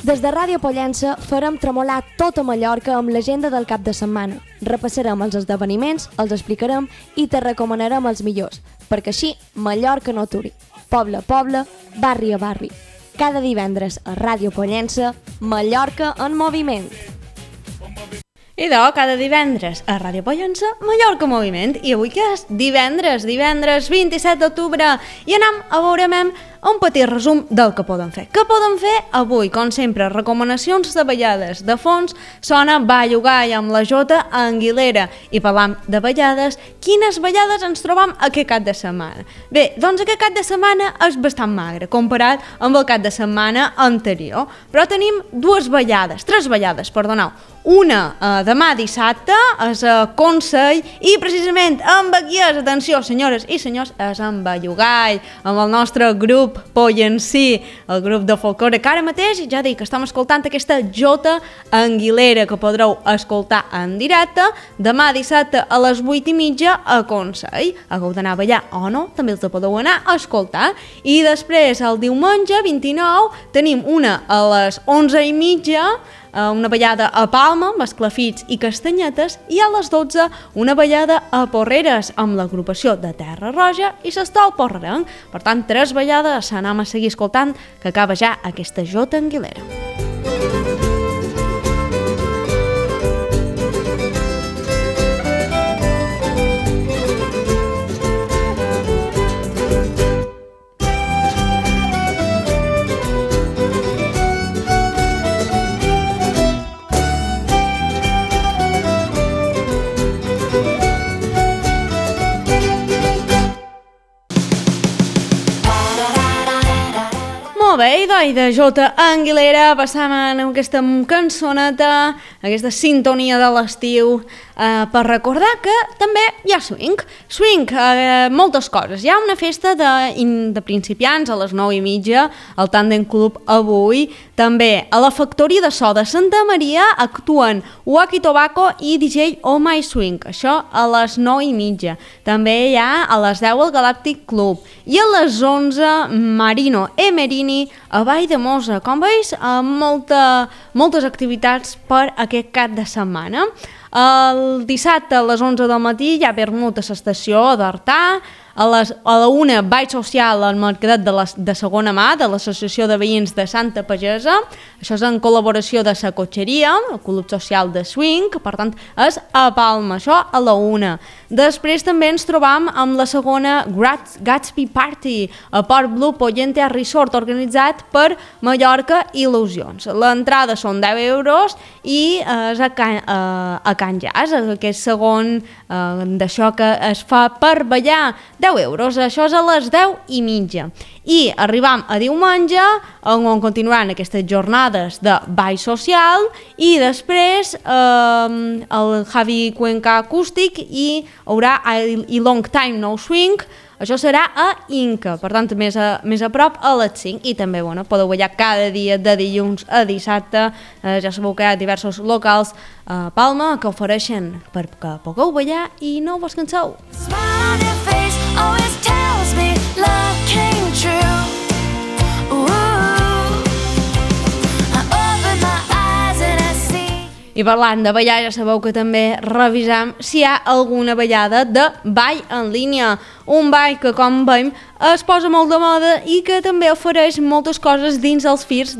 Des de Ràdio Pollença farem tremolar tota Mallorca amb l'agenda del cap de setmana. Repassarem els esdeveniments, els explicarem i te recomanarem els millors, perquè així Mallorca no aturi. Poble a poble, barri a barri. Cada divendres a Ràdio Pollença, Mallorca en moviment. Idò, cada divendres a Ràdio Pollença, Mallorca en moviment. I avui que és divendres 27 d'octubre, i anem a veure un petit resum del que podem fer. Què podem fer avui? Com sempre, recomanacions de ballades. De fons sona Ballugai amb la Jota Anguilera. I parlam de ballades. Quines ballades ens trobam aquest cap de setmana? Bé, doncs aquest cap de setmana és bastant magre, comparat amb el cap de setmana anterior. Però tenim tres ballades, perdoneu. Una demà dissabte és a Consell i precisament amb aquí és, atenció senyores i senyors, és amb Ballugai, amb el nostre grup Pollencí, el grup de folklore que ara mateix, ja dic, estem escoltant aquesta Jota Anguilera que podreu escoltar en directe demà dissabte a les 8:30 a Consell. Hagueu d'anar a ballar o no, també els podeu anar a escoltar. I després el diumenge 29 tenim una a les 11:30, una ballada a Palma amb esclafits i castanyetes, i a les 12 una ballada a Porreres amb l'agrupació de Terra Roja i s'estol porrerenc. Per tant, 3 ballades, anem a seguir escoltant, que acaba ja aquesta Jota Anguilera. Molt bé, i de Jota Anguilera passam a aquesta cançoneta, aquesta sintonia de l'estiu, per recordar que també hi ha swing. Swing, moltes coses. Hi ha una festa de principiants a les 9:30, al Tandem Club avui. També a la Factoria de So de Santa Maria actuen Waki Tobacco i DJ Oh My Swing. Això a les 9:30. També hi ha a les 10 al Galactic Club. I a les 11 Marino e Merini a Vall de Mosa. Com veus, moltes activitats per aquest cap de setmana. El dissabte a les 11 del matí hi ha vermut a l'estació d'Artà. A la 1 ball social al mercadet de segona mà de l'Associació de Veïns de Santa Pagesa. Això és en col·laboració de la Cotxeria, el Club Social de Swing, per tant és a Palma, això a la 1. Després també ens trobam amb la segona Gatsby Party a Port Blue Pollente Resort, organitzat per Mallorca Il·lusions. L'entrada són 10 euros i és a Can Jazz, aquest segon d'això que es fa per ballar, 10 euros, això és a les 10:30. I arribam a diumenge, on continuaran aquestes jornades de ball social, i després el Javi Cuenca Acústic i haurà i Long Time No Swing. Això serà a Inca, per tant més a prop a les 5, i també podeu ballar cada dia de dilluns a dissabte. Ja sabeu que hi ha diversos locals a Palma que ofereixen perquè pugueu ballar i no vos canseu. I parlant de ballar, ja sabeu que també revisam si hi ha alguna ballada de ball en línia. Un ball que, com veiem, es posa molt de moda i que també ofereix moltes coses dins els firs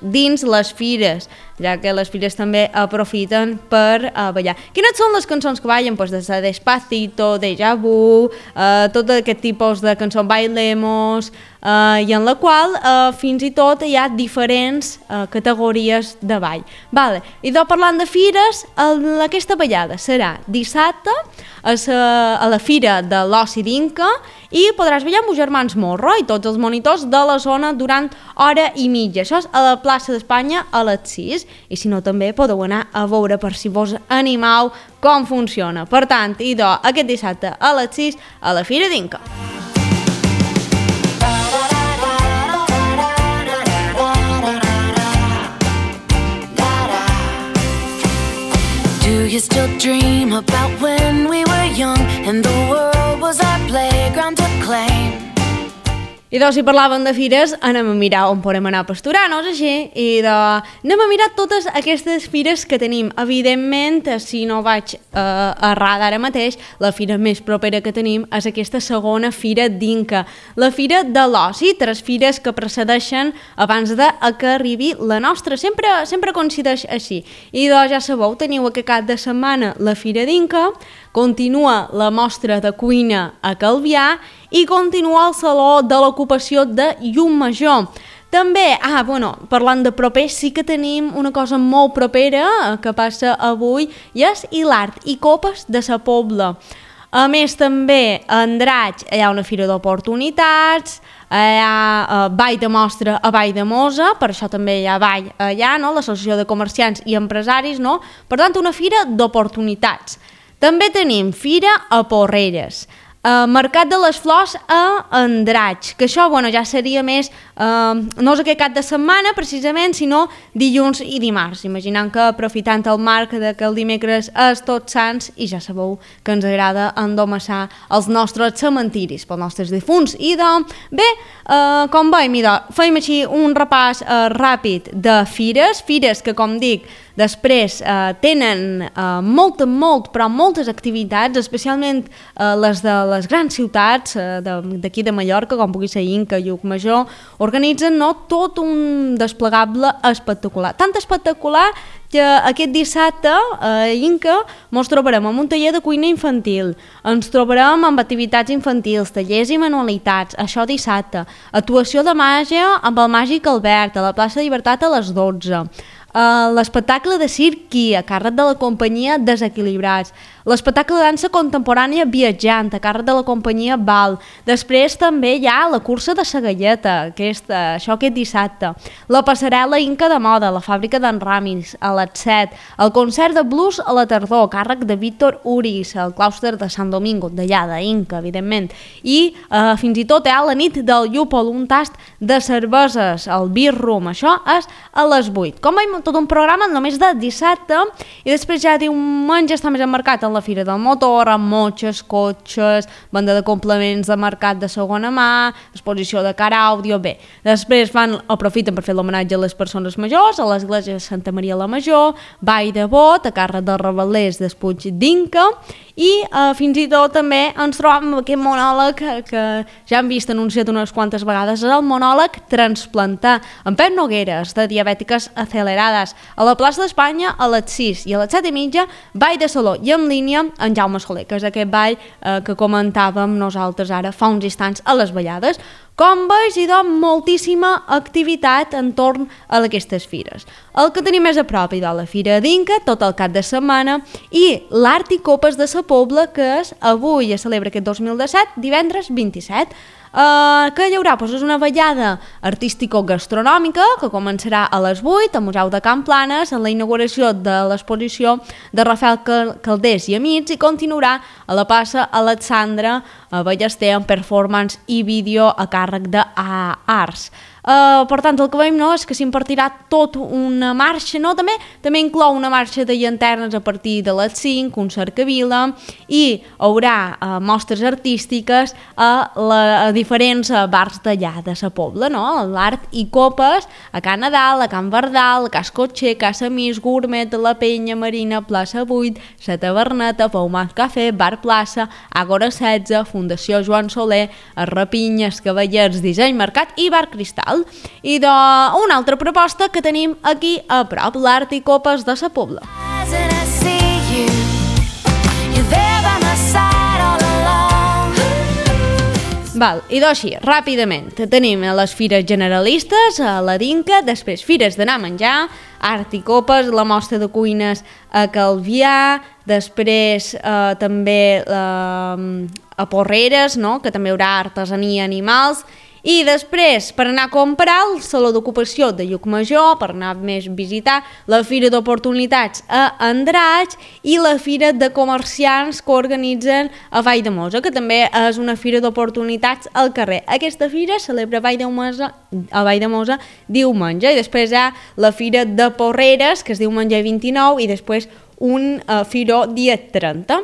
dins les fires, ja que les fires també aprofiten per ballar. Quines són les cançons que ballen? Pues des de Despacito, Deja Vu, tot aquest tipus de cançó, Bailemos, i en la qual fins i tot hi ha diferents categories de ball. Vale. I parlant de fires, aquesta ballada serà dissabte a la fira de l'Oci d'Inca, i podràs ballar amb els germans Morro i tots els monitors de la zona durant hora i mitja. Això és a la plaça d'Espanya a les 6, i si no també podeu anar a veure per si vos animau com funciona. Per tant, aquest dissabte a les 6 a la fira d'Inca. Do you still dream about when we were young and the world was our playground to claim? I doncs, si parlàvem de fires, anem a mirar on podem anar a pasturar, no és així? I anem a mirar totes aquestes fires que tenim. Evidentment, si no vaig errada ara mateix, la fira més propera que tenim és aquesta segona fira d'Inca, la fira de l'oci, 3 fires que precedeixen abans de que arribi la nostra. Sempre coincideix així. I doncs, ja sabeu, teniu aquest cap de setmana la fira d'Inca, continua la mostra de cuina a Calvià i continua el Saló de l'Ocupació de Llucmajor. També, parlant de propers, sí que tenim una cosa molt propera que passa avui i és l'Art i Copes de sa Pobla. A més, també a Andratx hi ha una fira d'oportunitats, hi ha ball de mostra a Valldemossa, per això també hi ha ball allà, no? L'Associació de Comerciants i Empresaris, no? Per tant, una fira d'oportunitats. També tenim fira a Porreres, Mercat de les Flors a Andratx, que això ja seria més, no és aquest cap de setmana precisament, sinó dilluns i dimarts, imaginant que aprofitant el marc que el dimecres és Tots Sants i ja sabeu que ens agrada endomassar els nostres cementiris pels nostres difunts. I bé, com veiem, feim així un repàs ràpid de fires que, com dic, després tenen moltes activitats, especialment les de les grans ciutats d'aquí de Mallorca, com pugui ser Inca, Llucmajor, organitzen tot un desplegable espectacular. Tant espectacular que aquest dissabte a Inca ens trobarem amb un taller de cuina infantil, ens trobarem amb activitats infantils, tallers i manualitats, això dissabte, actuació de màgia amb el Màgic Albert, a la plaça de Llibertat a les 12, l'espectacle de circ a càrrec de la companyia Desequilibrats, l'espectacle de dansa contemporània Viatjant a càrrec de la companyia Val. Després també hi ha la cursa de la galleta, això aquest dissabte, la passarel·la Inca de moda, la fàbrica d'en Ramis a les 7, el concert de blues a la tardor a càrrec de Víctor Uris al claustre de Sant Domingo, d'allà d'Inca, evidentment, i fins i tot hi ha la nit del llúpol, un tast de cerveses, el Beer Room, això és a les 8. Com veiem, tot un programa només de dissabte, i després ja diumenge està més emmarcat en la Fira del Motor, amb motxes, cotxes, venda de complements de mercat de segona mà, exposició de car àudio, bé. Després aprofiten per fer l'homenatge a les persones majors, a l'església de Santa Maria la Major, ball de bot, a càrrec dels revelers d'Espuig d'Inca, i fins i tot també ens trobem amb aquest monòleg que ja hem vist anunciat unes quantes vegades, és el monòleg Transplantar, amb Pep Nogueres, de Diabètiques Acelerades, a la plaça d'Espanya a les 6 i a les 7:30, ball de saló i en línia en Jaume Soler, que és aquest ball que comentàvem nosaltres ara fa uns instants a les ballades. Com veus, hi ha moltíssima activitat entorn a aquestes fires. El que tenim més a prop hi ha la Fira d'Inca, tot el cap de setmana, i l'Art i Copes de sa Pobla, que és avui, es celebra aquest 2017, divendres 27. Que hi haurà? És una ballada artístico-gastronòmica que començarà a les 8 al Museu de Can Planes en la inauguració de l'exposició de Rafael Calders i Amics i continuarà a la plaça Alexandra Ballester amb performance i vídeo a càrrec d'Arts. Per tant, el que veiem és que s'impartirà tot una marxa, també inclou una marxa de llanternes a partir de les 5, un cercavila, i hi haurà mostres artístiques a diferents bars d'allà de sa Pobla, l'Art i Copes, a Can Nadal, a Can Verdal, a Cas Cotxer, Casa Mis, Gourmet, La Penya Marina, Plaça 8, La Taverneta, Paumat Cafè, Bar Plaça, Àgora 16, Fundació Joan Soler, Rapinyes, Cavallers, Disseny Mercat i Bar Cristal. I una altra proposta que tenim aquí a prop, l'Art i Copes de sa Pobla. I així, ràpidament, tenim les fires generalistes, la d'Inca, després fires d'anar a menjar, Art i Copes, la mostra de cuines a Calvià, després també a Porreres, que també hi haurà artesania i animals, i després, per anar a comprar, el Saló d'Ocupació de Llucmajor, per anar més a visitar, la Fira d'Oportunitats a Andratx i la Fira de Comerciants que organitzen a Valldemossa, que també és una fira d'oportunitats al carrer. Aquesta fira celebra a Valldemossa diumenge, i després hi ha la Fira de Porreres, que és diumenge 29, i després un firó dia 30.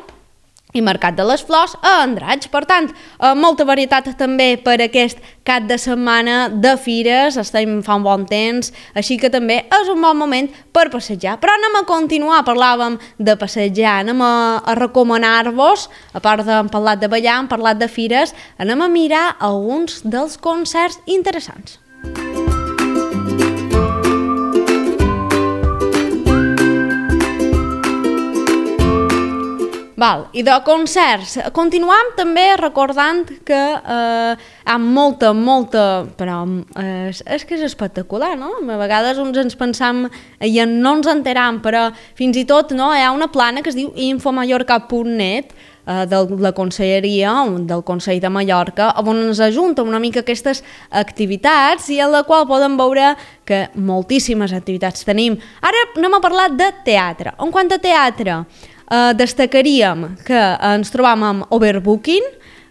i Mercat de les Flors a Andratx. Per tant, molta varietat també per aquest cap de setmana de fires, estem fa un bon temps, així que també és un bon moment per passejar. Però anem a continuar, parlàvem de passejar, anem a recomanar-vos, a part d'hem parlat de ballar, hem parlat de fires, anem a mirar alguns dels concerts interessants. Val, i de concerts, continuam també recordant que hi ha molta, però és que és espectacular, no? A vegades uns ens pensam i no ens enteram, però fins i tot no, hi ha una plana que es diu infomallorca.net de la Conselleria, del Consell de Mallorca, on ens ajunta una mica aquestes activitats i en la qual podem veure que moltíssimes activitats tenim. Ara anem a parlar de teatre. En quant a teatre, destacaríem que ens trobam amb Overbooking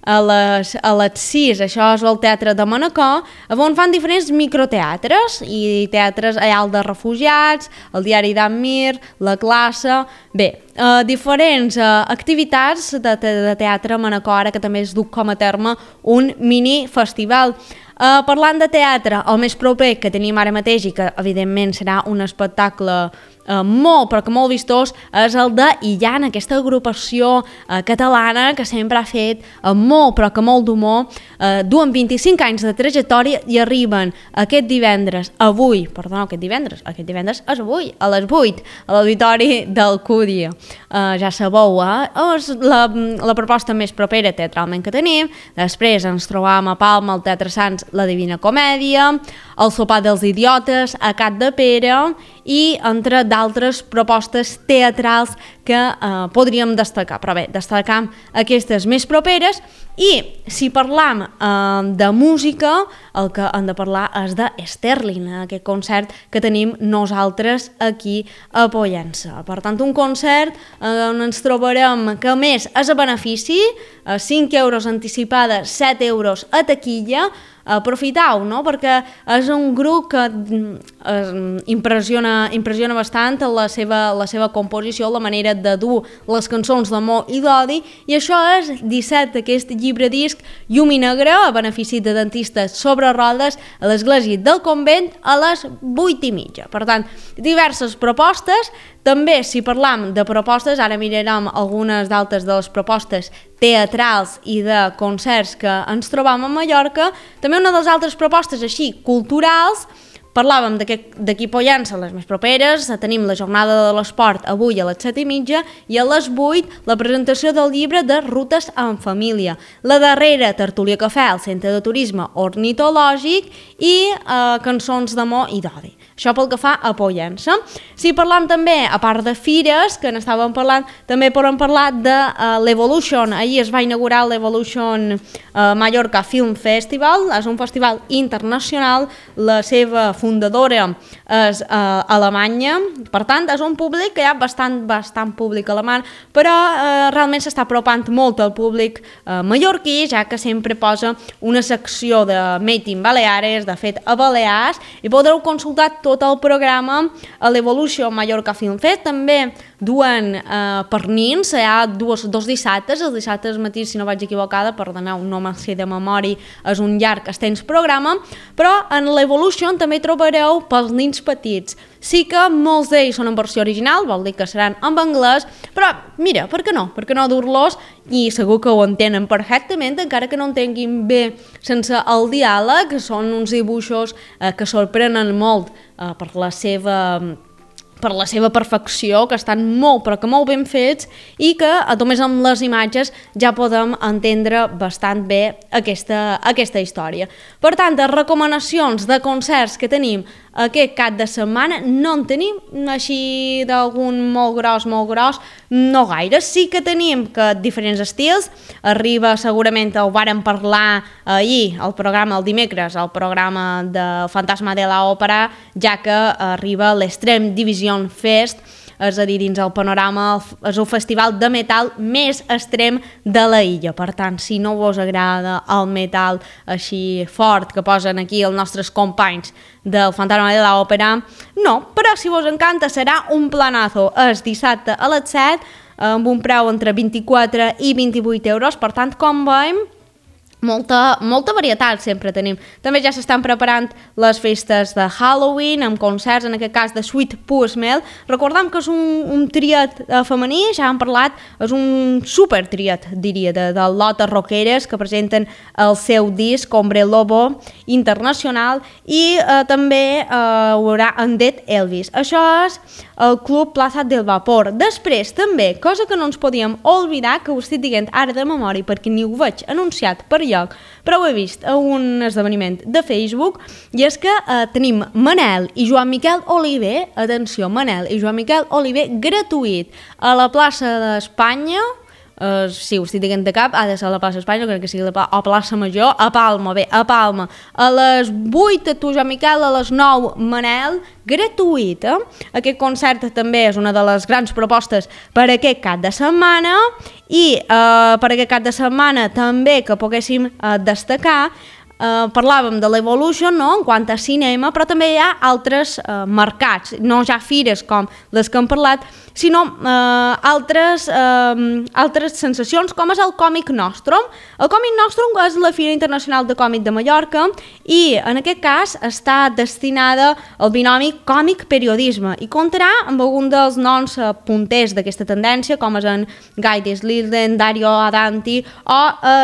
a les 6, això és el Teatre de Manacor, on fan diferents microteatres i teatres allà de refugiats, el Diari d'Amir, la classe, bé, diferents activitats de teatre a Manacor, ara que també es du com a terme un mini festival. Parlant de teatre, el més proper que tenim ara mateix i que evidentment serà un espectacle molt vistós, és el de Illan, aquesta agrupació catalana que sempre ha fet molt d'humor, duen 25 anys de trajectòria i arriben aquest divendres és avui, a les 8, a l'Auditori d'Alcúdia. Ja sabeu, és la proposta més propera teatralment que tenim. Després ens trobam a Palma, al Teatre Sants, la Divina Comèdia, el Sopar dels Idiotes, a Cat de Pere i entre d'altres propostes teatrals que podríem destacar. Però bé, destacam aquestes més properes i si parlam de música, el que hem de parlar és de Sterling, aquest concert que tenim nosaltres aquí a Pollença. Per tant, un concert on ens trobarem que a més és a benefici, 5 euros anticipada, 7 euros a taquilla. Aprofitau, no? Perquè és un grup que impressiona bastant la seva composició, la manera de dur les cançons d'amor i d'odi, i això és 17, aquest llibre disc Llum i Negre, a benefici de dentistes sobre rodes, a l'església del convent a les 8:30. Per tant, diverses propostes. També, si parlam de propostes, ara mirarem algunes d'altres de les propostes teatrals i de concerts que ens trobam a Mallorca. També una de les altres propostes així culturals, parlàvem d'aquí Pollença, les més properes, tenim la jornada de l'esport avui a les 7:30 i a les 8 la presentació del llibre de Rutes en Família. La darrera, tertúlia cafè al Centre de Turisme Ornitològic i cançons d'amor i d'odi. Això pel que fa a Pollença. Si parlam també, a part de fires, que n'estàvem parlant, també podem parlar de l'Evolution. Ahir es va inaugurar l'Evolution Mallorca Film Festival. És un festival internacional. La seva fundadora és Alemanya. Per tant, és un públic que hi ha bastant públic alemany, però realment s'està apropant molt al públic mallorquí, ja que sempre posa una secció de Made in Baleares, de fet a Balears, i podreu consultar tot el programa a l'Evolution Mallorca Film Fest. També duen pernins, hi ha dos dissabtes, els dissabtes matí, si no vaig equivocada, perdoneu, no me'n sé de memòria, és un llarg extens programa, però en l'Evolution també trobareu pels nins petits. Sí que molts d'ells són en versió original, vol dir que seran en anglès, però mira, per què no? Per què no dur-los? I segur que ho entenen perfectament, encara que no entenguin bé sense el diàleg. Són uns dibuixos que sorprenen molt per la seva perfecció, que estan molt ben fets i que només amb les imatges ja podem entendre bastant bé aquesta història. Per tant, les recomanacions de concerts que tenim aquest cap de setmana no en tenim així d'algun molt gros, no gaire. Sí que tenim que diferents estils, arriba segurament, ho vàrem parlar ahir, el dimecres, el programa de Fantasma de l'Òpera, ja que arriba l'Extreme Division Fest, és a dir, dins el panorama és el festival de metal més extrem de la illa. Per tant, si no vos agrada el metal així fort que posen aquí els nostres companys del Fantasma de l'Òpera, no, però si vos encanta serà un planazo. És dissabte a les 7 amb un preu entre 24 i 28 euros, per tant, com veiem, molta varietat sempre tenim. També ja s'estan preparant les festes de Halloween amb concerts, en aquest cas de Sweet Pea Smell. Recordem que és un triat femení, ja hem parlat, és un super triat, diria, de lotes rockeres que presenten el seu disc Hombre Lobo Internacional, i també hi haurà Undead Elvis. Això és el Club Plaza del Vapor. Després, també, cosa que no ens podíem oblidar, que ho estic dient ara de memòria perquè ni ho veig anunciat per lloc, però ho he vist a un esdeveniment de Facebook, i és que tenim Manel i Joan Miquel Oliver, atenció, Manel i Joan Miquel Oliver, gratuït a la plaça d'Espanya. Sí, ho estic dient de cap, ha de ser a la plaça d'Espanya, crec que sigui a plaça Major, a Palma, a Palma, a les 8 tu, Joan Miquel, a les 9 Manel, gratuït. Aquest concert també és una de les grans propostes per aquest cap de setmana, i per aquest cap de setmana també que poguéssim destacar, parlàvem de l'Evolution, no?, en quant a cinema, però també hi ha altres mercats, no ja fires com les que hem parlat, sinó altres sensacions, com és el Còmic Nostrum. El Còmic Nostrum és la Fira Internacional de Còmic de Mallorca, i en aquest cas està destinada al binomi còmic-periodisme, i comptarà amb algun dels noms punters d'aquesta tendència, com és en Guy Deslilden, Dario Adanti o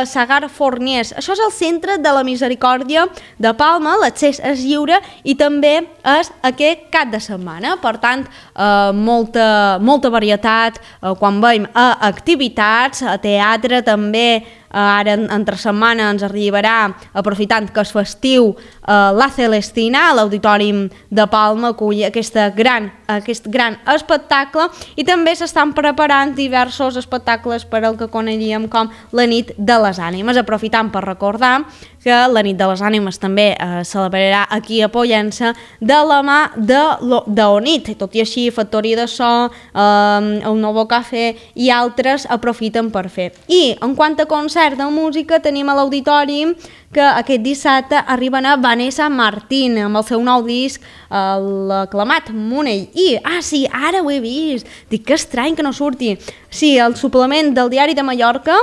Sagar Forniers. Això és el centre de la Misericòrdia de Palma, l'accés és lliure i també és aquest cap de setmana, per tant, molta varietat quan veiem a activitats, a teatre també. Ara entre setmana ens arribarà, aprofitant que és festiu, La Celestina, a l'Auditori de Palma, acull aquest gran espectacle, i també s'estan preparant diversos espectacles per al que coneguíem com la Nit de les Ànimes, aprofitant per recordar que la Nit de les Ànimes també celebrarà aquí a Pollença de la mà d'Onit, tot i així Factoria de So, el Novo Café i altres aprofiten per fer. I en quant a concert de música, tenim a l'Auditori que aquest dissabte arriben a Vanessa Martín amb el seu nou disc, l'aclamat Monell. I, sí, ara ho he vist, dic que estrany que no surti. Sí, el suplement del Diari de Mallorca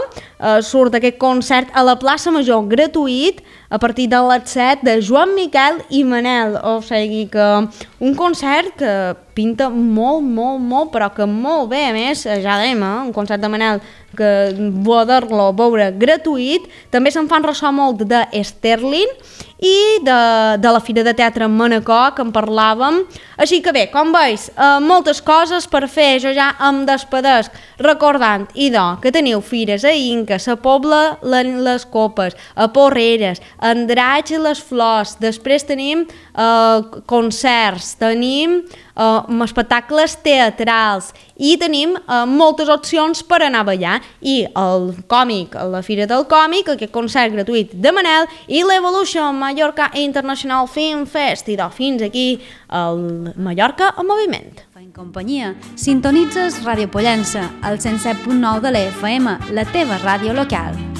surt aquest concert a la plaça Major, gratuït, a partir de les 7, de Joan Miquel i Manel. O sigui que un concert que pinta molt, però que molt bé. A més, ja dèiem, un concert de Manel que poder-lo veure gratuït. També se'n fan ressò molt de Sterling i de la Fira de Teatre en Manacor, que en parlàvem. Així que bé, com veus, moltes coses per fer. Jo ja em despedesc recordant, que teniu fires a Inca, a Pobla les Copes, a Porreres, a Andratx i les Flors. Després tenim concerts, tenim espectacles teatrals i tenim moltes opcions per anar a ballar. I el còmic, la Fira del Còmic, aquest concert gratuït de Manel, i l'Evolution Mallorca International Film Fest. I fins aquí el Mallorca en moviment. En companyia, sintonitzes Ràdio Pollença, al 107.9 de l'FM, la teva ràdio local.